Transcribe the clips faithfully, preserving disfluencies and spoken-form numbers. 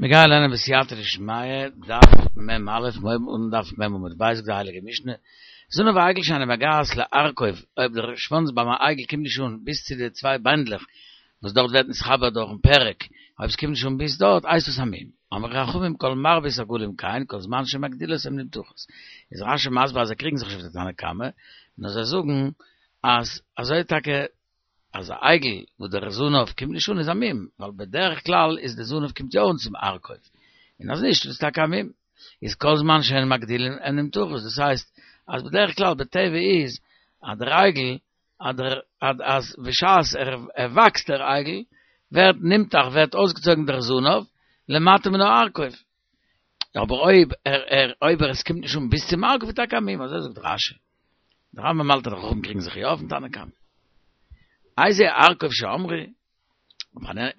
מיר גייען לערנען בסייעתא דשמיא, דף מ"א, מיר הייבן אן דף מ' עמוד ב', זאגט די הייליגע משנה, זנב העגל שאינו מגעת לארכוב, אויב דער שוואנץ ביים עגל קומט נישט אן ביז צו די צוויי ביינדלעך וואס דארט ווערט נתחבר דורכן פרק, אויב עס קומט נישט אן ביז דארט הייסט עס א מום. אמרו חכמים כל מרבית עגלים כן, כל זמן שמגדילות הן נמתחות. איז רש"י מסביר אז זיי קריגן זיך נישט אויף די תנא קמא, נאר זיי זאגן אז אזוי טאקע אז א עגל וואס דער זנב קומט נישט אן איז א מום, ווייל בדרך כלל איז די זנב קומט יא אן צום ארכוב, און אז נישט איז עס טאקע א מום, איז כל זמן שהן מגדילין הן נמתחות, דאס הייסט אז בדרך כלל בטבע איז אז דער עגל אז דער אז בשעת ער וואקסט דער עגל ווערט נמתח ווערט אויסגעצויגן דער זנב למטה מן הארכוב, אבער אויב ער ער אויב עס קומט נישט אן ביז צום ארכוב איז טאקע א מום, אזוי זאגט רש"י. דער רמב"ם האלט אז די חכמים קריגן זיך יא אויפן תנא קמא. איזה ארכוב שאמרו,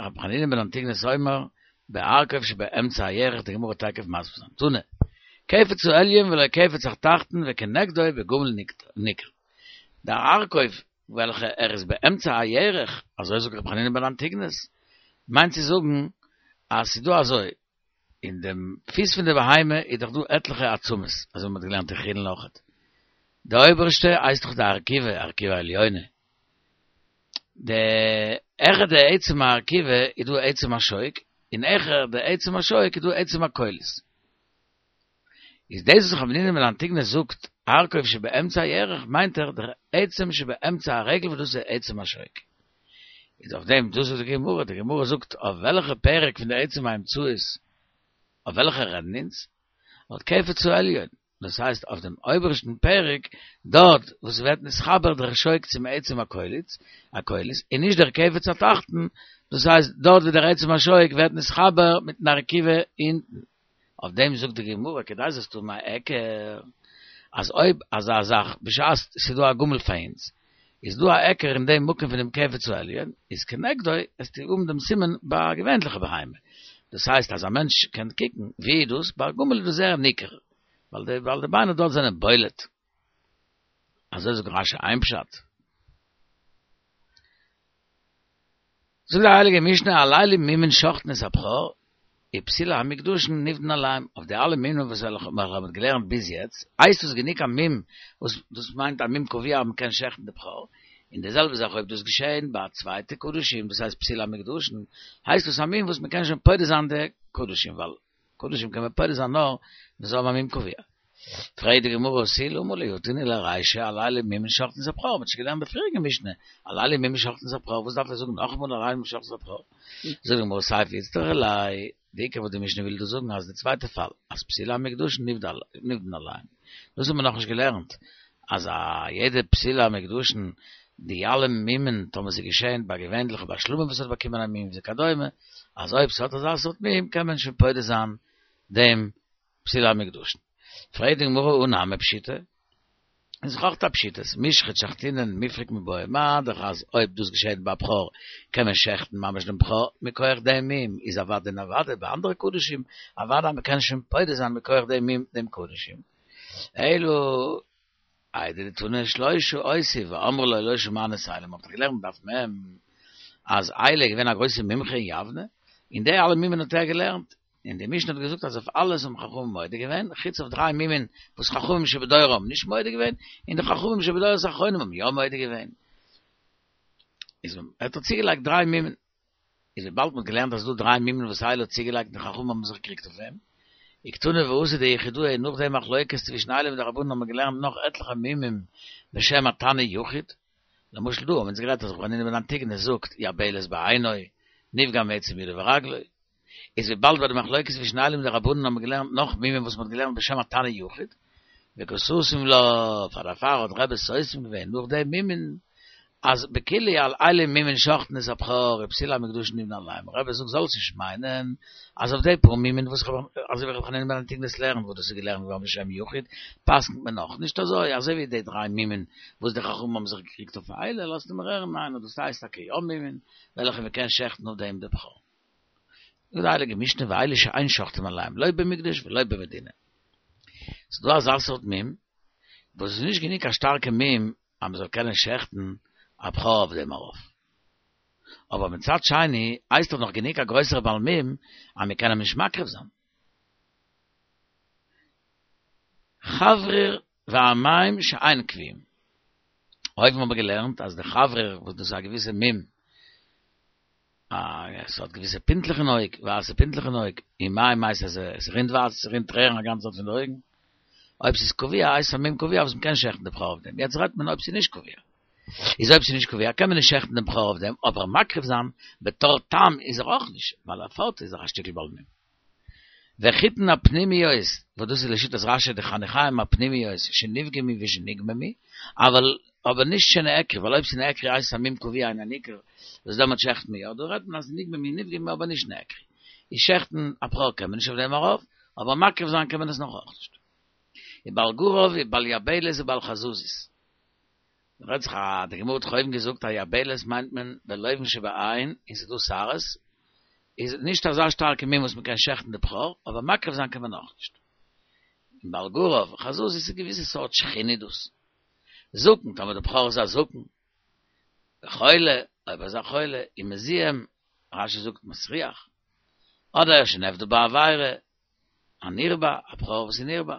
רבי חנינא בן אנטיגנוס אומר, בארכוב שבאמצע הירך, די גמרא וועט תיכף מסביר זיין. תנא, קפץ העליון ולא קפץ התחתון וכנגדו בגמל ניכר. דער ארכוב וועלכע ער איז באמצע הירך, אזוי זאגט רבי חנינא בן אנטיגנוס, מיינט צו זאגן אז ס'איז דא אזוי, אין דעם פיס פון די בהמה איז דאך דא עטליכע עצמות, אזוי ווי מ'האט געלערנט אין חולין אויכעט. די אויבערשטע הייסט דאך די ארכובה, ארכובה עליונה. די העכער די עצם הארכובה איז דא עצם השוק, און העכער די עצם השוק איז דא עצם הקולית. איז דאס וואס רבי חנינא בן אנטיגנוס זאגט ארכוב שבאמצע הירך מיינט ער דער עצם שבאמצע הרגל וואס דאס איז עצם השוק. איז אויף דעם דאס זאגט די גמרא, די גמרא זאגט אויף וועלכע פרק פון די עצם האמצעית אויף וועלכע רעדן אונז? אויף קפץ העליון, דאס הייסט אויף דעם אויבערשטן פרק דארט וואס ווערט נתחבר דער שוק צום עצם הקולית, הקולית, און נישט דער קפץ התחתון, דאס הייסט דארט ווי דער עצם השוק ווערט נתחבר מיטן ארכובה אונטן. אויף דעם זאגט די גמרא כדי זאלסט האבן א היכר אז אויב אזא זאך בשעת ס'איז דא א גמל פאר אונז איז דא א היכר אין דעם מקום פון דעם קפץ העליון איז כנגדו וועסטו האבן דעם סימן ביי א געווענליכע בהמה דאס הייסט אז א מענטש קען קוקן ווי איז דאס ביי א גמל איז דאס זייער ניכר ווייל די ווייל די ביינער דארט זענען בולט אזוי זאגט רש"י איין פשט. זאגט די הייליגע משנה על אלו מומין שוחטין את הבכור ופסולי המוקדשין נפדין עליהם, אויף די אלע מומים וואס וועלכע מ'האט געלערנט ביז יעצט, הייסט דאס גענוג א מום וואס דאס מיינט א מום קבוע אז מ'קען שעכטן די בכור, און די זעלבע זאך אויב דאס געשעהן ביי א צווייטע קדשים דאס הייסט פסולי המוקדשין, הייסט דאס א מום וואס מ'קען שוין פודה זיין די קדשים ווייל קדשים קען מען פודה זיין נאר ווען זיי האבן א מום קבוע. פרעגט די גמרא ותו למה לי הא תניא לרישא על אלו מומין שוחטין את הבכור, מ'האט שוין געלערנט די פריעריגע משנה, על אלו מומין שוחטין את הבכור, וואס דארף ער זאגן נאכאמאל על אלו מומין שוחטין את הבכור? זאגט די גמרא סיפא איצטריכא ליה, די עיקר וואס די משנה וויל דא זאגן אז די צווייטע פאל, אז פסולי המוקדשין נפדין עליהם, דאס האט מען נאכנישט געלערנט, אז א יעדע פסולי המוקדשין, די אלע מומין, טאמער ס'איז געשען ביי געווענליכע ביי שלמים וואס האט באקומען א מום וכדומה, אז אויב ס'האט אזא סארט מום קען מען שוין פודה זיין דעם פסולי המוקדשין. פרעגט די גמרא הא נמי פשיטא, איז דאך אויך א פשיטות, מישחט שחטינן מיפרק מיבעיא מה דאך אז אויב דאס געשעט ביי א בכור קען מען שעכטן ממש דעם בכור מכח דעם מום, איז אוודאי און אוודאי ביי אנדערע קדשים אוודאי אז מ'קען שוין פודה זיין מכח דעם מום דעם קדשים. אלא איידי דתנא שלושה אותי ואמרי לה לא שמענו את עלי, מ'האט דאך געלערנט דף מ' אז עלי איז געווען א גרויסע מומחה אין יבנה, און די אלע מומין האט ער געלערנט, און די משנה האט געזאגט אז אויף אלעס האבן חכמים מודה געווען, חוץ אויף דריי מומין וואס חכמים שבדורו האבן נישט מודה געווען, און די חכמים שבדורות האחרונים האבן יא מודה געווען. איז ער האט צוגעלייגט דריי מומין. איז וויבאלד מ'האט געלערנט אז ס'דא דריי מומין וואס עלי האט צוגעלייגט און די חכמים האבן זיך געקריגט אויף אים, וקתני ואתו דיחידאה נאך די מחלוקת צווישן עלי מיט די רבנן האבן מיר געלערנט נאך עטליכע מומים בשם התנא יחיד, למשל דא האבן אונז גערעדט אז רבי חנינא בן אנטיגנוס זאגט יבלת בעינו, נפגם עצם ידו ורגלו, איז וויבאלד ביי די מחלוקת צווישן עלי מיט די רבנן האבן מיר געלערנט נאך מומים וואס מ'האט געלערנט בשם התנא יחיד, וקא סתים לה, פאר דערפאר האט רבי סותם געווען נאך די מומין, אז בכולהו על אלו מומין שוחטין את הבכור ופסולי המוקדשין נפדין עליהם, רבי זאגט זאלסט נישט מיינען אז אויף די פאר מומין וואס כ'האב אזוי ווי רבי חנינא בן אנטיגנוס לערנט וואס דאס איז געלערנט געווארן בשם יחיד, פסק'נט מען נאך נישט אזוי, אזוי ווי די דריי מומין וואס די חכמים האבן זיך געקריגט אויף עלי, לאזט מיר הערן ניין אז דאס הייסט טאקע יא מומין וועלכע מ'קען שעכטן אויף דעם די בכור. זאגט די הייליגע משנה ואלו שאין שוחטין עליהם לא במקדש ולא במדינה. ס'איז דא אזא סארט מום וואס איז נישט גענוג א שטארקע מום אז מ'זאל קענען שעכטן א בכור אויף דעם ארויף. אבער מצד שני, הייסט דאך נאך גענוג א גרויסער בעל מום, אז מיר קענען נישט מקריב זיין. חבריר והמים שאין קביעים. אויבן האבן מיר געלערנט אז דער חבריר, וואס דאס איז א געוויסע מום, עס האט געוויסע פינטלעך אין אויג, ווייסע פינטלעך אין אויג, און מים הייסט אז עס רינט וואסער, עס רינט טרערן א גאנצע צייט פון די אויגן. אויב ס'איז קבוע, הייסט א מום קבוע וואס מ'קען שעכטן די בכור אויף דעם. יעצט רעדט מען אויב ס'איז נישט קבוע. איז אויב ס'איז נישט קבוע קען מען נישט שעכטן דעם בכור אויף דעם, אבער מקריב זיין בתור תם איז ער אויך נישט, ווייל ער פארט איז ער א שטיקל בעל מום. וחיטין הפנימיות, וואס דאס איז לשיטת רשי די חניכיים הפנימיות שנפגמו ושנגממו, אבל אבער נישט שנעקרו, ווייל אויב ס'נעקרו הייסט עס א מום קבוע און א ניכר, וואס דעמאלט שעכט מען יא, דא רעדט מען אז נגממו נפגמו אבער נישט נעקרו. איז שעכטן א בכור קען מען נישט אויף דעם ארויף, אבער מקריב זיין קען מען עס נאך אויך נישט. ובעל גרב ובעל יבלת ובעל חזזית. רעדט זיך א די גמרא האט דאך אויבן געזאגט אז יבלת מיינט מען בלובן שבעין און ס'איז דא שערות, איז נישט אזא שטארקע מום וואס מ'קען שעכטן די בכור, אבער מקריב זיין קען מען אויך נישט. און בעל גרב, חזזית איז א געוויסע סארט שחין איז דאס. זקן, טאמער די בכור איז א זקן. וחולה, אויב ער איז א חולה, און מזוהם, רשי זאגט מסריח. אדער שנעבדה בעבירה, א נרבע, א בכור וואס איז נרבע.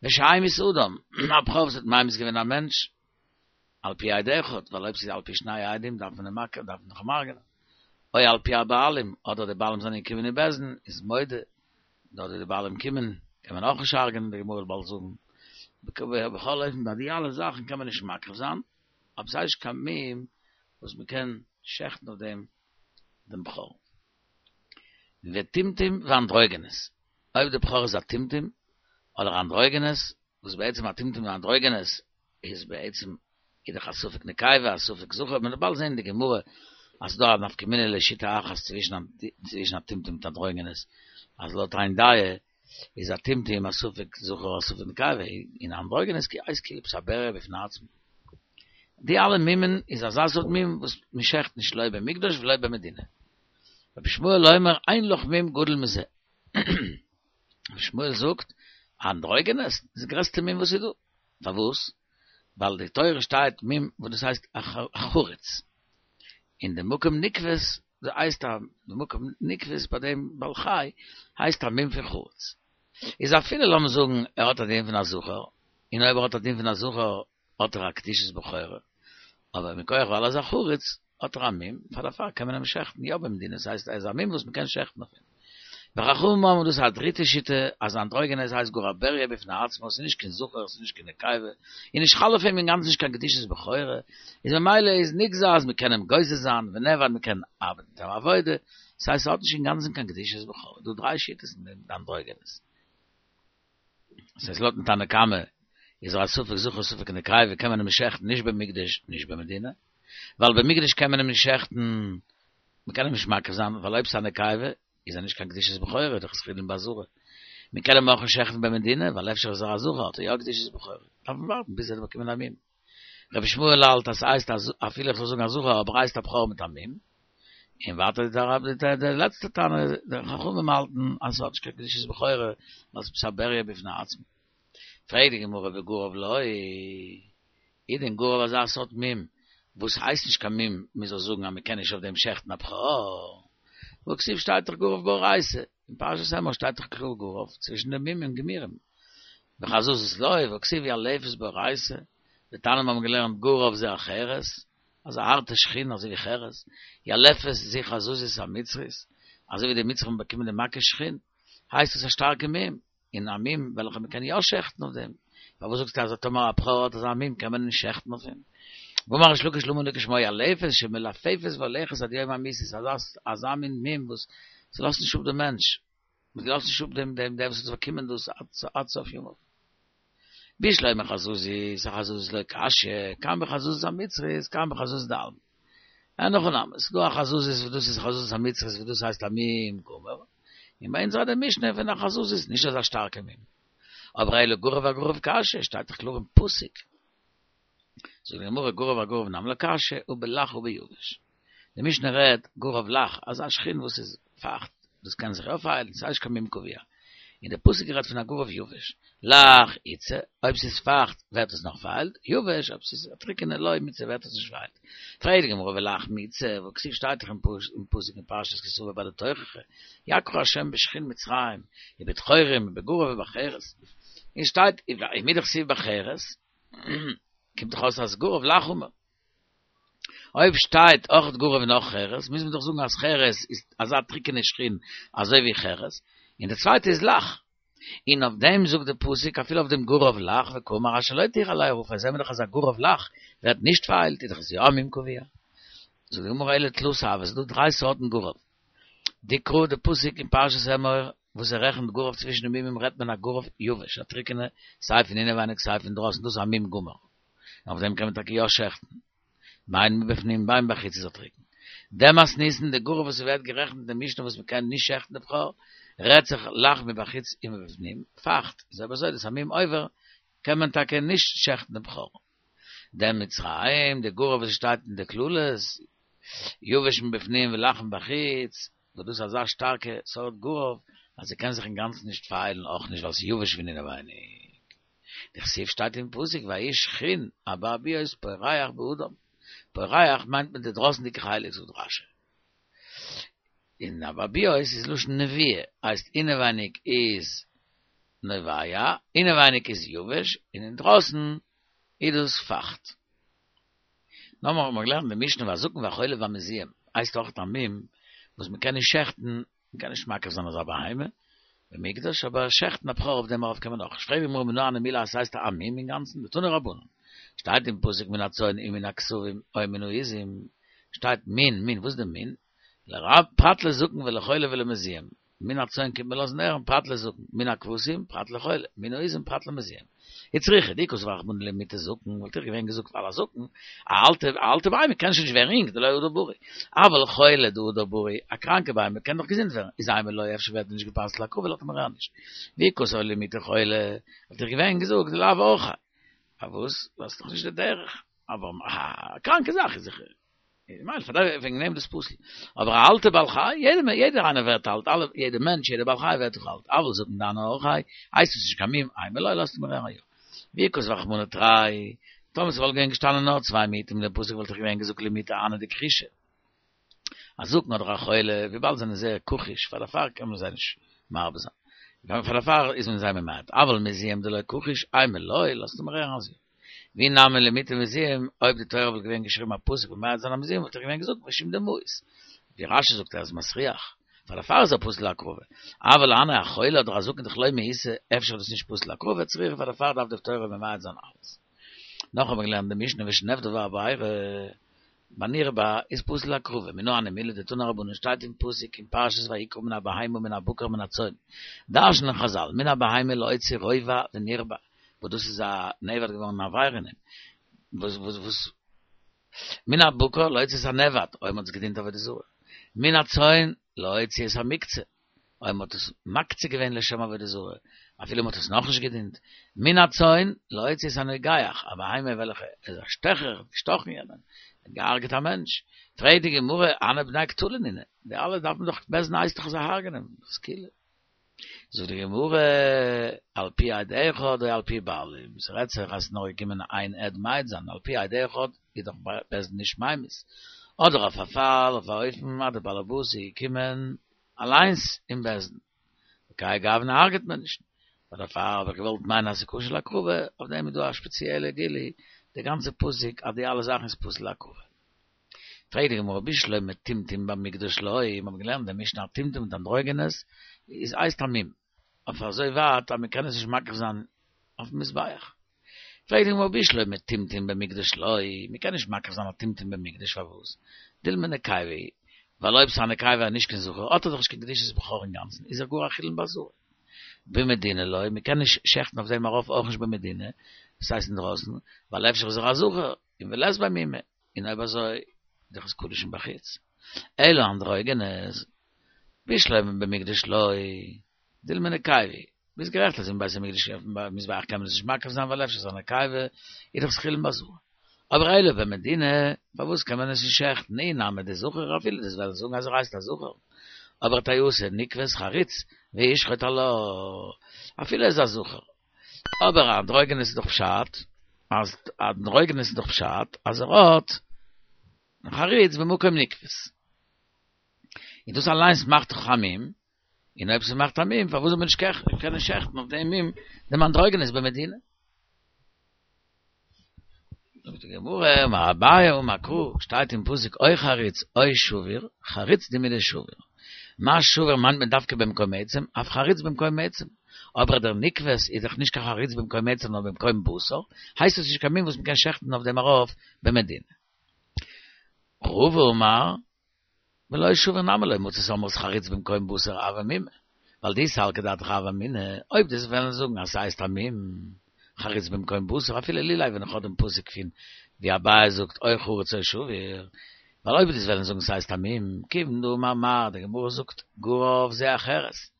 ושהמית אדם, א בכור וואס האט ממית געווען א מענטש, על פי עד אחד, ווייל אויב ס'איז על פי שני עדים דארף מען אים מכיר, דארף מען דאך אים הרג'נען. או על פי הבעלים, אדער די בעלים זענען געקומען אין בית דין, איז מודה, אדער די בעלים קומען, קען מען אויך נישט הרג'נען, די גמרא וועט באלד זאגן. בכל אופן ביי די אלע זאכן קען מען נישט מקריב זיין, אבער ס'איז נישט קיין מום וואס מ'קען שעכטן אויף דעם דעם בכור. וטומטום ואנדרוגינוס, אויב די בכור איז א טומטום אדער אנדרוגינוס, וואס בעצם א טומטום און אנדרוגינוס איז בעצם איז דאך א ספק נקבה א ספק זכר, מען וועט באלד זען אין די גמרא אז ס'דא א נפקא מינה לשיטה אחת צווישן א טומטום מיט אנדרוגינוס, אז לויט איין דעה איז א טומטום א ספק זכר א ספק נקבה, און אנדרוגינוס הייסט כאילו עפעס א בריה בפני עצמו. די אלע מומין איז אזא סארט מום וואס מען שעכט נישט לא במקדש ולא במדינה. רבי ישמעאל אומר אין לך מום גדול מזה. רבי ישמעאל זאגט, אנדרוגינוס איז די גרעסטע מום וואס איז דא. פארוואס? ווייל די תורה שטייט מום וואס דאס הייסט א חריץ. און די מקום נקבות, דאס הייסט א די מקום נקבות ביי דעם בעל חי הייסט א מום פון חריץ. איז אפילו לאמיר זאגן ער האט א דין פון א זכר, און אויב ער האט א דין פון א זכר האט ער א קדושת בכורה, אבער מכח ווייל ער איז א חריץ האט ער א מום, פאר דערפאר קען מען אים שעכטן יא במדינה, עס הייסט ער איז א מום וואס מען קען שעכטן אויף אים. וחכמים אומרים דאס איז א דריטע שיטה, אז אנדרוגינוס הייסט גאר א בריה בפני עצמו, עס איז נישט קיין זכר, עס איז נישט קיין נקבה, און נישט חל אויף אים אינגאנצן נישט קיין קדושת בכורה, איז ממילא איז נגזר אז מען קען אים גוזז זיין, ונעבד מען קען ארבעטן מיט אים עבודה, עס הייסט עס האט נישט אינגאנצן קיין קדושת בכורה, דא דריי שיטות אין דעם אנדרוגינוס. עס הייסט לויטן תנא קמא איז ער א ספק זכר ספק נקבה קען מען אים נישט שעכטן נישט במקדש נישט במדינה, ווייל במקדש קען מען אים נישט שעכטן, מען קען אים נישט מקריב זיין ווייל אויב ס'איז א נקבה איז ער נישט קיין קדושת בכורה, דאך איז חולין בעזרה. מען קען אים אויך נישט שעכטן במדינה ווייל אפשר איז ער א זכר האט ער יא קדושת בכורה, דארף מען ווארטן ביז ער וועט באקומען א מום. רבי ישמעאל האלט אז ס'הייסט אז אפילו איך זאל זאגן א זכר אבער הייסט א בכור מיט א מום. און ווייטער די רב די די לעצטע תנא די חכמים האלטן אז ס'האט נישט קיין קדושת בכורה ווייל ס'איז א בריה בפני עצמו. פרעגט די גמרא וגרב לא, איז דען גרב אזא סארט מום וואס הייסט נישט קיין מום מ'זאל זאגן אז מ'קען נישט אויף דעם שעכטן א בכור? והכתיב שטייט דאך גרב באורייתא, אין פרשת אמור שטייט דאך קלאר גרב צווישן די מומים גמורים. וחזזית לא, והכתיב ילפת באורייתא, די תנאים האבן געלערנט גרב זה החרס, אזא הארטע שחין אזוי ווי חרס, ילפת זו חזזית המצרית, אזוי ווי די מצרים האבן באקומען די מכה שחין, הייסט עס א שטארקע מום, און א מום וועלכע מען קען יא שעכטן אויף דעם, פארוואס זאגסטו אז טאמער א בכור האט אזא מום קען מען נישט שעכטן אויף אים? ואמר ריש לקיש למה נקרא שמה ילפת שמלפפת והולכת עד יום המיתה, ס'איז אזא מין מום וואס ס'לאזט נישט אפ דעם מענטש, מ'לאזט נישט אפ דעם דעם דער וואס האט באקומען דאס עד סוף ימיו. בשלמא חזזית, אחזזית לא קשיא, כאן בחזזית המצרית, כאן בחזזית דעלמא. אין הכי נמי, ס'איז דא א חזזית וואס דאס איז חזזית המצרית וואס דאס הייסט א מום גמור, און ביי אונז רעדט די משנה פון א חזזית, נישט אזא שטארקע מום. אבער אלא גרב אגרב קשיא, שטייט דאך קלאר אין פסוק. זאגט די גמרא גרב אגרב נמי לא קשיא, הא בלח הא ביבש. די משנה רעדט גרב לח, אזא שחין וואס איז פייכט, דאס קען זיך אויפהיילן, ס'איז נישט קיין מום קבוע. אין דער פסוק רעדט פון א גורב יבש. לח איתתא, אויב ס'איז פייכט, ווערט עס נאך פארהיילט, יבש, אויב ס'איז א טריקענע לא מיתסי ווערט עס נישט פארהיילט. פרעגט די גמרא ולח מי איתתא, והכתיב שטייט דאך אין פסוק אין פרשת כי תבוא ביי די תוכחה, יככה השם בשחין מצרים, ובדחורים ובגרב ובחרס, און שטייט ומדכתיב בחרס, קומט דאך אויס אז גרב לח אמור. אויב שטייט אויך גרב און אויך חרס, מוז מען דאך זאגן אז חרס איז אזא טריקענע שחין אזוי ווי חרס, און די צווייטע איז לח. און אויף דעם זאגט די פסוק אפילו אויף דעם גרב לח וקאמר אשר לא תוכל עליה הרופא, זעהן מיר דאך אז א גרב לח ווערט נישט פארהיילט, איז דאך עס יא א מום קבוע. זאגט די גמרא אלא תלתא הוו, עס איז דא דריי סארטן גרב. דקרא די פסוק אין פרשת אמור וואס ער רעכנט גרב צווישן די מומים רעדט מען א גרב יבש א טריקענע סיי פון אינעווייניג סיי פון דרויסן דאס איז א מום גמור און אויף דעם קען מען טאקע יא שעכטן בין מבפנים בין מבחוץ איז ער טריקן. דמתניתין די גרב וואס ס'ווערט גערעכנט אין די משנה וואס מ'קען נישט שעכטן די בכור רעדט זיך לח מבחוץ ומבפנים פייכט איז אויב אזוי דאס א מום עובר קען מען טאקע נישט שעכטן די בכור. דמצרים די גרב וואס שטייט אין די קללות יבש מבפנים ולח מבחוץ וואס דאס איז אזא שטארקע סארט גרב אז ס'קען זיך אינגאנצן נישט פארהיילן אויך נישט ווייל ס'איז יבש פון אינעווייניג. דכתיב שטייט אין פסוק ויהי שחין אבעבועות פורח באדם, פורח מיינט מען די דרויסנדיגע חלק זאגט רשי. און אבעבועות איז לשון נביעה, הייסט אינעווייניג איז נובע, אינעווייניג איז יבש, און אינדרויסן איז דאס פייכט. נאכמער האט מען געלערנט אין די משנה והזקן והחולה והמזוהם הייסט אויך א מום וואס מען קען נישט שעכטן, מען קען נישט מקריב זיין אזא בהמה במקדש, אבער שעכטן א בכור אויף דעם ארויף קען מען אויך. פרעגט די גמרא מנא הני מילי אז ס'הייסט א מום אינגאנצן, דתנו רבנן, שטייט אין פסוק מן הצאן ומן הכשבים או מן העזים, שטייט מין, מין, וואס איז די מין? לרב, פרט לזקן ולחולה ולמזוהם, מן הצאן קומט מען לאזן הערן פרט לזקן, מן הכבשים פרט לחולה, מן העזים פרט למזוהם. וצריכא, דאי כתב רחמנא למעוטי זקן, וואלט איך געווען געזאגט ווייל א זקן, א אלטע א אלטע בהמה קען שוין נישט ווערן יונג, דלא הדר בריא. אבל חולה דהדר בריא, א קראנקע בהמה קען דאך געזונט ווערן, איז אימא לא אפשר ווערט נישט גע'פסל'ט להקרבה לאזט מען הערן נישט. ואי כתב למעוטי חולה, וואלט איך געווען געזאגט דלאו אורחיה. פארוואס? ווייל ס'איז דאך נישט די דרך. אבער א קראנקע זאך איז זיכער. מילא פאר דעם וועגן דעם דאס פסול. אבער א אלטע בעל חי, יעדער יעדער איינער ווערט אלט, אלע יעדער מענטש יעדער בעל חי ווערט דאך אלט, אבל זקן דהני אורחיה, הייסט עס נישט קיין מום, אימא לא לאזט מען הערן יא. ואי כתב רחמנא תרי, טאמער ס'וואלט געווען געשטאנען נאר צוויי מיעוטים אין דעם פסוק וואלט איך געווען געזאגט למעוטי הני דכחישי. א זקן אדער א חולה, וויבאלד זענען זייער כחיש, פאר דערפאר קען מען זיי נישט מרבה זיין. פאר דערפאר איז מען זיי ממעט. אבל מזוהם דלא כחיש, אימא לא, לאזט מען הערן אז יא. ואי נמי למעוטי מזוהם, אויב די תורה וואלט געווען געשריבן א פסוק ממעט זיין א מזוהם וואלט איך געווען געזאגט משום דמאיס. ווי רשי זאגט ער איז מסריח, פאר דערפאר איז ער פסול להקרבה. אבל הני א חולה אדער א זקן דלא מאיסי, אפשר איז דאס נישט פסול להקרבה, צריכא פאר דערפאר דארף די תורה ממעט זיין אלעס. נאך האבן מיר געלערנט די משנה ושנאבדה הבערה, בנרבע איז פסול להקרבה, מנא הני מילי דתנו רבנן שטייט אין פסוק אין פרשת ויקרא מן הבהמה מן הבקר מן הצאן, דרש'נען חזל מן הבהמה להוציא רובע ונרבע, וואס דאס איז א נאבד געווארן א עבירה אין אים, וואס וואס וואס מן הבקר להוציא את הנאבד, אויב מ'האט עס געדינט עבודה זרה, מן הצאן להוציא את המוקצה, אויב מ'האט עס מקצה געווען לשם עבודה זרה, אפילו מ'האט עס נאכנישט געדינט, מן הצאן להוציא את הנוגח, א בהמה וועלכע איז א שטעכער, האט געשטאכן יענעם, האט געהארגעט א מענטש, פרעגט די גמרא, הני בני קטלא נינהו, די אלע דארף מען דאך בית דין הייסט דאך זיי הרג'נען, סקילה. זאגט די גמרא, על פי עד אחד או על פי בעלים, ס'רעדט זיך אז ס'איז נאר געקומען איין עד מעיד זיין, על פי עד אחד איז דאך בית דין נישט ממית, אדער אויף א פאל, אויף א אופן אז דער בעל הבית איז געקומען אליינס אין בית דין, בכהאי גוונא הרג'ט מען נישט, פאר דערפאר האב איך געוואלט מיינען אז ס'איז כשר להקרבה, אויף דעם איז דא א שפעציעלע גילוי, די גאנצע פסוק אז די אלע זאכן איז פסול להקרבה. פרעגט די גמרא בשלמא טומטום במקדש לא, מיר האבן געלערנט די משנה אז טומטום מיט אנדרוגינוס איז הייסט א מום, אויף אזוי ווייט אז מען קען עס נישט מקריב זיין אויפן מזבח. פרעגט די גמרא בשלמא טומטום במקדש לא, מען קען נישט מקריב זיין א טומטום במקדש פארוואס? דילמא נקבה היא, ווייל אויב ס'איז א נקבה און נישט קיין זכר האט ער דאך נישט קיין קדושת בכור אינגאנצן איז ער גאר א חולין בעזרה. במדינה לא, מען קען נישט שעכטן אויף דעם ארויף אויך נישט במדינה, דאס הייסט אינדרויסן, ווייל אפשר איז ער א זכר, און ולית ביה מומא. און אויב אזוי איז דאך עס קדשים מבחוץ. אלא אנדרוגינוס, בשלמא במקדש לא, דילמא נקבה היא, ביסט גערעכט אז אין בית המקדש אויפן מזבח קען מען עס נישט מקריב זיין ווייל אפשר איז א נקבה, איז דאך עס חולין בעזרה. אבער אלא במדינה, פארוואס קען מען עס נישט שעכטן? אי נמי דזכר אפילו דו'סט וועלן זאגן אז ער הייסט א זכר. אבער טעותא נקבת חריץ וישחוט עלה, אפילו איז א זכר. אבער אנדרוגינוס איז דאך פשט, אז אנדרוגינוס איז דאך פשט, אז ער האט חריץ במקום נקבת. און דאס אליינס מאכט דאך א מום, און אויב ס'מאכט א מום, פארוואס זאל מען נישט קענען שעכטן אויף דעם מום דעם אנדרוגינוס במדינה? זאגט די גמרא, אמר אביי אמר קרא, שטייט אין פסוק או חריץ או שבור, חריץ דומיא דשבור. מה שבור מיינט מען דווקא במקום עצם, אף חריץ במקום עצם. אבער דער נקבת איז דאך נישט קיין חריץ במקום עצם נאר במקום בשר, הייסט עס נישט קיין מום וואס מ'קען שעכטן אויף דעם ארויף במדינה. רבא אמר, ולא שבור נמי לא מצית אמרת חריץ במקום בשר הוי מומא, ווייל דאי סלקא דעתך הוה אמינא, אויב דו'סט וועלן זאגן אז ס'הייסט א מום, חריץ במקום בשר, אפילו לולא ווען איך האב דעם פסוק פון ווי אביי זאגט או חריץ או שבור, ווייל אויב דו'סט וועלן זאגן ס'הייסט א מום, כיוון דאמר מר, די גמרא זאגט גרב זה החרס,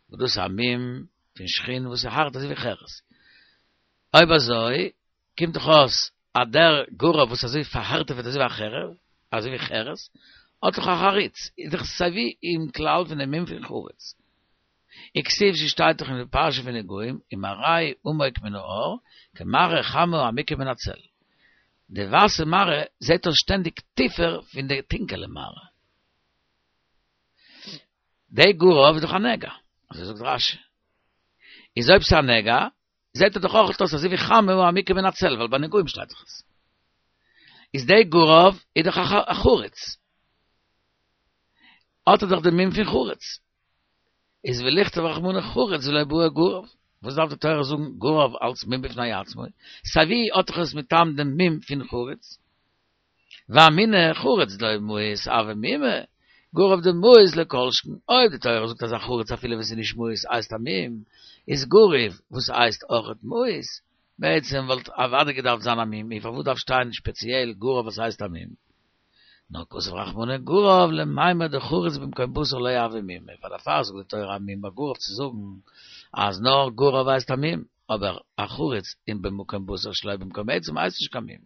וואס דאס איז א מום פון שחין וואס איז הארט אזוי ווי חרס. אויב אזוי קומט דאך אויס אז דער גרב וואס איז אזוי פארהארטעוועט אזוי ווי א חרב, אזוי ווי חרס, האט דאך א חריץ, איז דאך סייווי אין כלל פון דעם מום פון חריץ. וכתיב ס'שטייט דאך אין די פרשה פון נגעים, ומראהו עמוק מן ההר, כמראה חמה העמוקה מן הצל. די ווייסע מראה זעט אויס שטענדיג טיפער פון די טונקעלע מראה. די גרב איז דאך א נגע, אזוי זאגט רש"י. איז אויב ס'איז א נגע, זעט ער דאך אויך אויס אזוי ווי חמה העמוקה מן הצל, ווייל ביי נגעים שטייט דאך עס. איז די גרב איז דאך א חריץ. האט ער דאך די מום פון חריץ. איז ולכתוב רחמנא חריץ ולא בעי גרב. וואס דארף די תורה זאגן גרב אלס מום בפני עצמו? סייווי האט דאך עס מטעם דעם מום פון חריץ. ואמינא חריץ דלא מאיס הוי מומא, גרב דמאיס לא כל שכן, אויב די תורה זאגט אז א חריץ אפילו ווען ס'איז נישט מאוס הייסט א מום, איז גרב וואס הייסט אויכעט מאוס, בעצם וואלט אוודאי געדארפט זיין א מום, און פארוואס דארף שטיין שפעציעל גרב וואס הייסט א מום? נאר כתב רחמנא גרב למימר דחריץ במקום בשר לא הוי מומא, פאר דערפאר זאגט די תורה א מום ביי גרב צו זאגן אז נאר גרב הייסט א מום, אבער א חריץ אין במקום בשר שלא במקום עצם הייסט נישט קיין מום.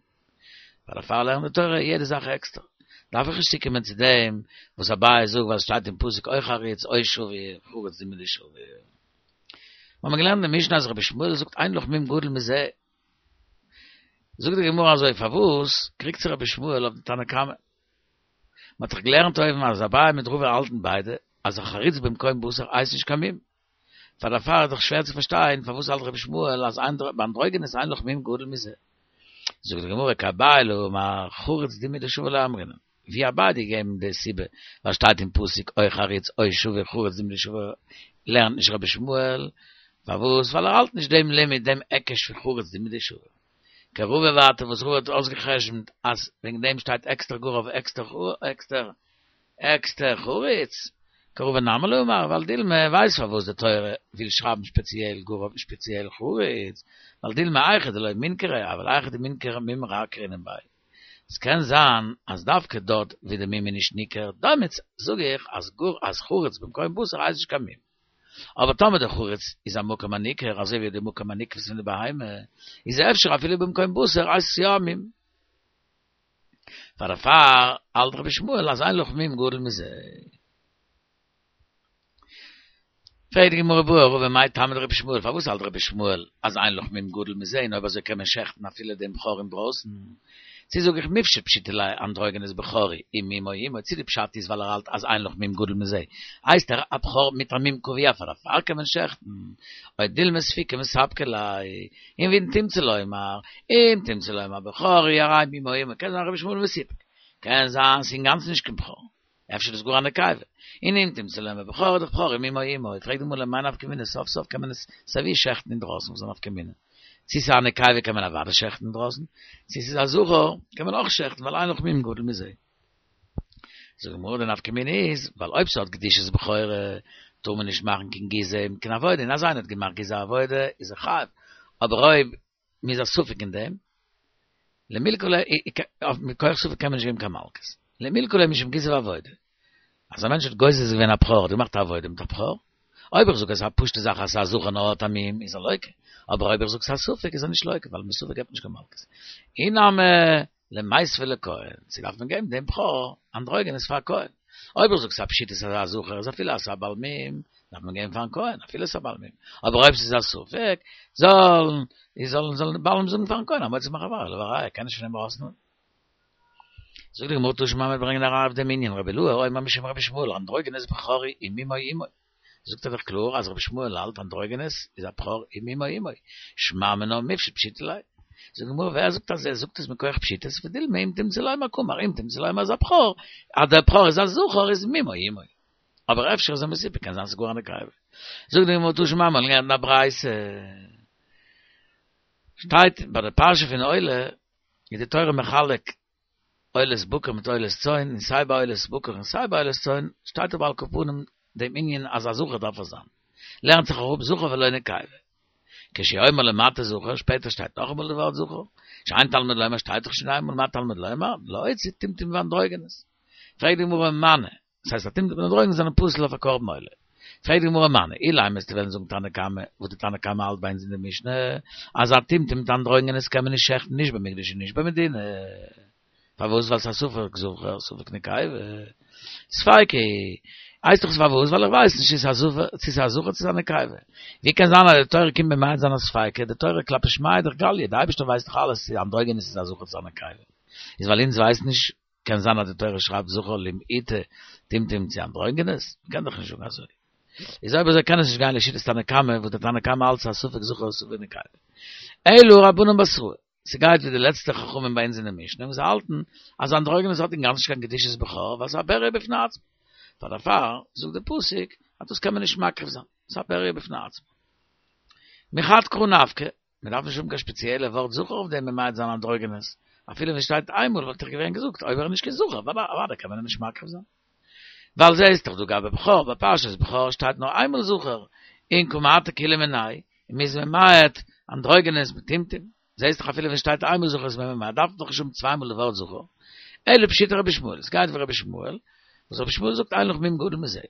פאר דערפאר לערנט די תורה יעדע זאך עקסטער. דארף איך נישט צוקומען צו דעם וואס אביי זאגט ווייל עס שטייט אין פסוק או חריץ או שבור, חריץ דומיא דשבור. מיר האבן געלערנט אין משנה אז רבי ישמעאל זאגט אין לך מום גדול מזה. זאגט די גמרא אזוי, פארוואס קריגט זיך רבי ישמעאל אויף די תנא קמא? מען האט דאך געלערנט אויבן אז אביי מיט רבא האלטן ביידע אז א חריץ במקום בשר הייסט נישט קיין מום. פאר דערפאר איז דאך שווער צו פארשטיין פארוואס האלט רבי ישמעאל אז ביי אנדרוגינוס אין לך מום גדול מזה. זאגט די גמרא כאביי לא אמר חריץ דומיא דשבור לא אמרינן. ווי אביי האט געגעבן די סיבה ווייל שטייט אין פסוק או חריץ או שבור חריץ דומיא דשבור לערנט נישט רבי ישמעאל פארוואס ווייל ער האלט נישט דעם לימוד דעם היקש פון חריץ דומיא דשבור. כרבא ווייטער וואס רבא האט אויסגע'חשבונ'ט אז וועגן דעם שטייט עקסטער גרב עקסטער עקסטער עקסטער חריץ, כרבא נמי לא אמר, ווייל דילמא ווייסט פארוואס די תורה וויל שרייבן שפעציעל גרב און שפעציעל חריץ, ווייל דילמא היכא דלא מינכרא, אבל היכא דמינכרא מום רע קרינן ביה. עס קען זיין אז דווקא דארט ווי די מום איז נישט ניכר, דעמאלטס זאג איך אז גאר אז חריץ במקום בשר הייסט נישט קיין מום. אבער טאמער די חריץ איז א מקום הניכר אזוי ווי די מקום הנקבת פון די בהמה, איז אפשר אפילו במקום בשר הייסט עס יא א מום. פאר דערפאר האלט רבי ישמעאל אז אין לך מום גדול מזה. פרעגט די גמרא בעי רבא מאי טעמא דרבי ישמעאל, פארוואס האלט רבי ישמעאל אז אין לך מום גדול מזה און אויב אזוי קען מען שעכטן אפילו דעם בכור אינדרויסן? צו זאג איך מיפשט פשיטא ליה אנדרוגינוס בכור הוא ומומו עמו, צו די פשט איז ווייל ער האלט אז אין לך מום גדול מזה הייסט ער א בכור מיט א מום קבוע פאר דערפאר קען מען שעכטן, או דילמא ספוקי מספקא ליה, און ואם תמצא לומר, אם תמצא לומר בכור הוא הרי מומו עמו, קען זיין רבי ישמעאל מסופק, קען זיין ס'איז אינגאנצן נישט קיין בכור, אפשר איז גאר א נקבה, און אם תמצא לומר בכור איז דאך בכור ומומו עמו, פרעגט די גמרא למאי נפקא מינה, סוף סוף קען מען עס סייווי שעכטן אינדרויסן, וואס איז א נפקא מינה? צו ס'איז א נקבה קען מען אוודאי שעכטן אינדרויסן, צו ס'איז א זכר קען מען אויך שעכטן ווייל אין לך מום גדול מזה. זאגט די גמרא די נפקא מינה איז, ווייל אויב ס'האט קדושת בכורה טאר מען נישט מאכן קיין גיזה און קיין עבודה, און אז איינער האט געמאכט גיזה עבודה איז ער חייב, אבער אויב מ'איז א ספק אין דעם, למילקא ליה, מכח ספק קען מען נישט געבן קיין מלקות, למילקא ליה משום גיזה ועבודה. אז א מענטש האט גוזז געווען א בכור, האט געמאכט א עבודה מיט א בכור, אויב איך זאג אז ס'איז א פשוטע זאך אז ס'איז א זכר נאר האט א מום, איז ער לוקה, אבער אויב איך זאג ס'איז א ספק איז ער נישט לוקה, ווייל מספק געבט מען נישט קיין מלקות. אי נמי למיתבה לכהן, צו דארף מען געבן דעם בכור אנדרוגינוס פאר א כהן. אויב איך זאג ס'א פשיטא ס'איז א זכר, איז אפילו אז ס'א בעל מום, דארף מען גיין פארן כהן, אפילו ס'א בעל מום. אבער אויב ס'איז א ספק, זאלן, זאלן, זאלן די בעלים זאגן פארן כהן, המוציא מחברו עליו הראיה, קען נישט פון אים ארויסנעמען. זאגט די גמרא תא שמע מיר ברענגען א ראיה אויף דעם ענין, רבי אילעא אומר משום רבי ישמעאל, אנדרוגינוס בכור הוא ומומו עמו. זאגט ער דאך קלאר אז רבי ישמעאל האלט אנדרוגינוס איז א בכור ומומו עמו, שמע מינה מיפשט פשיטא ליה. זאגט די גמרא ווער זאגט אז ער זאגט עס מכח פשיטות ודילמא אם תמצא לומר קאמר אם תמצא לומר אז א בכור אז דער בכור איז א זכר איז מומו עמו. אבער אפשר איז ער מסופק קען זיין ס'איז גאר א נקבה. זאגט די גמרא תא שמע מ'האט געלערנט אין א ברייתא שטייט ביי די פרשה פון עולה איז די תורה מחלק עולת בקר מיט עולת צאן, און סיי ביי עולת בקר און סיי ביי עולת צאן שטייט אבער על כל פנים דעם ענין אז א זכר דארף עס זיין. לערנט זיך אראפ זכר ולא נקבה. כשהוא אומר למטה זכר, שפעטער שטייט נאכאמאל די ווארט זכר, שאין תלמוד לומר שטייט דאך שוין איינמאל מה תלמוד לומר, להוציא טומטום ואנדרוגינוס. פרעגט די גמרא מני, דאס הייסט א טומטום און אנדרוגינוס זענען פסול אויף א קרבן עולה. פרעגט די גמרא מני, אילימא וועסטו וועלן זאגן תנא קמא, וואס די תנא קמא האלט ביי אונז אין די משנה, אז א טומטום מיט אנדרוגינוס קען מען נישט שעכטן נישט במקדש און נישט במדינה. פארוואס? ווייל ס'איז א ספק זכר ספק נקבה. ספיקא הייסט דאך פארוואס? ווייל איך ווייס נישט צו ס'איז א זכר צו ס'איז א נקבה. ווי קען זיין אז די תורה קומט ממעט זיין א ספיקא? די תורה כלפי שמיא איז דאך גליא, די אייבערשטער ווייסט דאך אלעס צו אנדרוגינוס איז א זכר צו ס'איז א נקבה. איז ווייל אונז ווייסן נישט קען זיין אז די תורה שרייבט זכר למעוטי טומטום צו אנדרוגינוס? מ'קען דאך נישט זאגן אזוי. איז אויב אזוי קען עס נישט גיין לשיטת תנא קמא וואס דער תנא קמא האלט ס'איז א ספק זכר ספק נקבה. אלא רבנן בתראי. ס'גייט ווי די לעצטע חכמים ביי אונז אין די משנה וואס האלטן אז אנדרוגינוס האט אינגאנצן נישט קיין קדושת בכור ווייל ס'איז א בריה בפני עצמו. פאר דערפאר זאגט די פסוק אז דאס קען מען נישט מקריב זיין, ס'איז א בריה בפני עצמו. מחד קרא נפקא, מ'דארף נישט האבן קיין שפעציעלע ווארט זכר אויף דעם ממעט זיין אנדרוגינוס, אפילו ווען ס'שטייט איינמאל וואלט איך געווען געזאגט אויב ער איז נישט קיין זכר אוודאי קען מען אים נישט מקריב זיין. ווייל זעהסט דאך דא גבי בכור ביי פרשת בכור שטייט נאר איינמאל זכר און קא מעטי כולהו מיניה און מ'איז ממעט אנדרוגינוס מיט טומטום, זעהסט דאך אפילו ווען שטייט איינמאל זכר איז מען ממעט דארף מען דאך נישט האבן צוויי מאל די ווארט זכר, אלא פשיטא רבי ישמעאל, עס גייט ווי רבי ישמעאל, וואס רבי ישמעאל זאגט אין לך מום גדול מזה.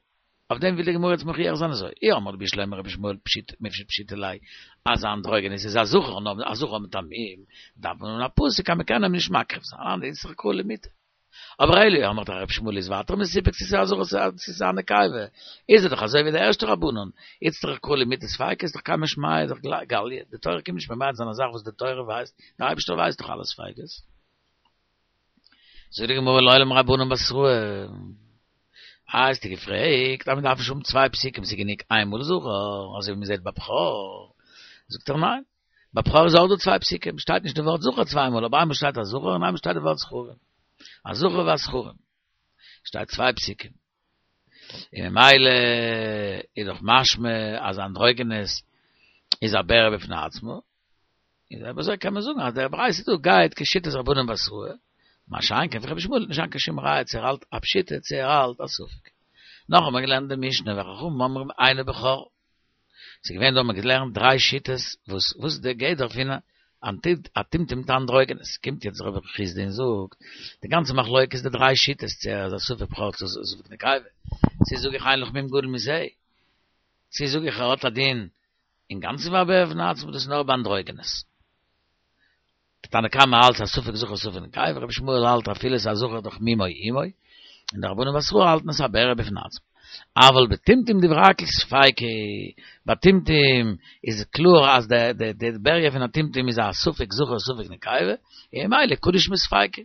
אויף דעם וויל די גמרא יעצט מוכיח זיין אזוי, אי אמרת בשלמא רבי ישמעאל פשיט מיפשט פשיטא ליה, אז אנדרוגינוס איז א זכר נאר א זכר מיט א מום, דארף מען האבן א פסוק אז מען קען אים נישט מקריב זיין, אנדערש איצטריך קרא למעוטי. אבער אלא אי אמרת רבי ישמעאל איז ווייטער מסופק צו ס'איז א זכר צו ס'איז א נקבה, איז ער דאך אזוי ווי די ערשטע רבנן, איצטריך קרא למעוטי ספיקא איז דאך קמי שמיא איז דאך גליא, די תורה קומט נישט ממעט זיין א זאך וואס די תורה ווייסט, דער אייבערשטער ווייסט דאך אלע ספיקות. זאגט די גמרא לעולם רבנן בתראי, אה האסטו געפרעגט אז מען דארף נישט האבן צוויי פסוקים ס'איז גענוג איין מאל זכר אזוי ווי מען זעט ביי בכור, זאגט ער ניין, ביי בכור איז אויך דא צוויי פסוקים, שטייט נישט די ווארט זכר צוויי מאל, אבער איינמאל שטייט א זכר און איינמאל שטייט די ווארט זכרים, הזכר והזכרים, שטייט צוויי פסוקים, און ממילא איז דאך משמע אז אנדרוגינוס איז א בריה בפני עצמו, און אויב אזוי קען מען זאגן אז דער ברייתא דא גייט כשיטת רבנן בתראי, מה שאין כן פון רבי ישמעאל נישט זיין קיין שום ראיה צו ער האלט א פשיטא צו ער האלט א ספק. נאך האט מען געלערנט די משנה וחכמים אומרים אינו בכור. ס'איז געווען דא האט מען געלערנט דריי שיטות וואס וואס די גדר פון א טומטום מיט אנדרוגינוס. קומט יעצט רב חסדא און זאגט די גאנצע מחלוקת איז די דריי שיטות צו ער איז א ספק בכור צו ספק נקבה. צו זאג איך אין לך מום גדול מזה. צו זאג איך ער האט א דין אינגאנצן ווי א בריה בפני עצמו דאס איז נאר ביי אנדרוגינוס. די תנא קמא האלט ס'איז א ספק זכר ספק נקבה, רבי ישמעאל האלט אפילו ס'איז א זכר דאך מומו עמו, און די רבנן בתרא האלטן עס א בריה בפני עצמו. אבל בטומטום דברי הכל ספיקא, ביי טומטום איז קלאר אז די די די בריה פון א טומטום איז א ספק זכר ספק נקבה, און ממילא קדוש מספיקא.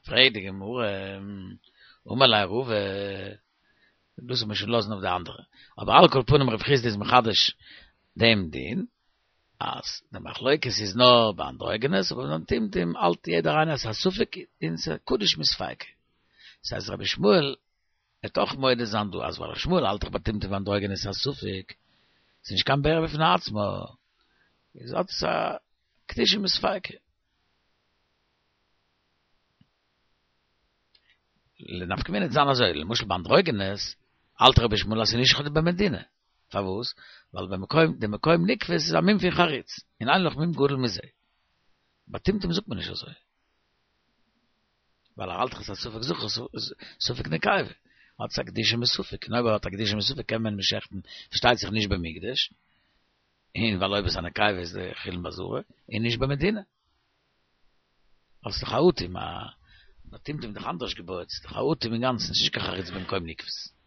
פרעגט די גמרא, אמר ליה רבא, דאס זאל מען שוין לאזן אויף די אנדערע, אבער על כל פנים רב חסדא איז מחדש דעם דין, אז די מחלוקת איז נאר ביי אנדרוגינוס, אבער ביים טומטום האלט יעדער איינער אז ס'איז א ספק און ס'איז קדוש מספיקא. דאס הייסט רבי ישמעאל וועט אויך מודה זיין דא אז ווייל רבי ישמעאל האלט דאך ביי טומטום ואנדרוגינוס איז א ספק, ס'איז נישט קיין בריה בפני עצמו, איז האט עס א קדושה מספיקא. לנפקא מינה וועט זיין אזוי, למשל ביי אנדרוגינוס האלט רבי ישמעאל אז ס'איז נישט במדינה, פארוואס? ווייל במקום, די מקום נקבות איז א מום פון חריץ, און אין לך מום גדול מזה. ביי טומטום זאגט מען נישט אזוי. ווייל ער האלט דאך עס איז א ספק זכר ספק נקבה. האט עס א קדושה מספק, און אויב ער האט א קדושה מספק קען מען אים שעכטן, פארשטייט זיך נישט במקדש, און ווייל אויב עס איז א נקבה איז די חולין בעזרה, און נישט במדינה. ווייל ס'איז דאך א אטום, א נאר טומטום איז דאך אנדערש געבויעט, ס'איז דאך א אטום אינגאנצן, ס'איז נישט קיין חריץ במקום נקבות.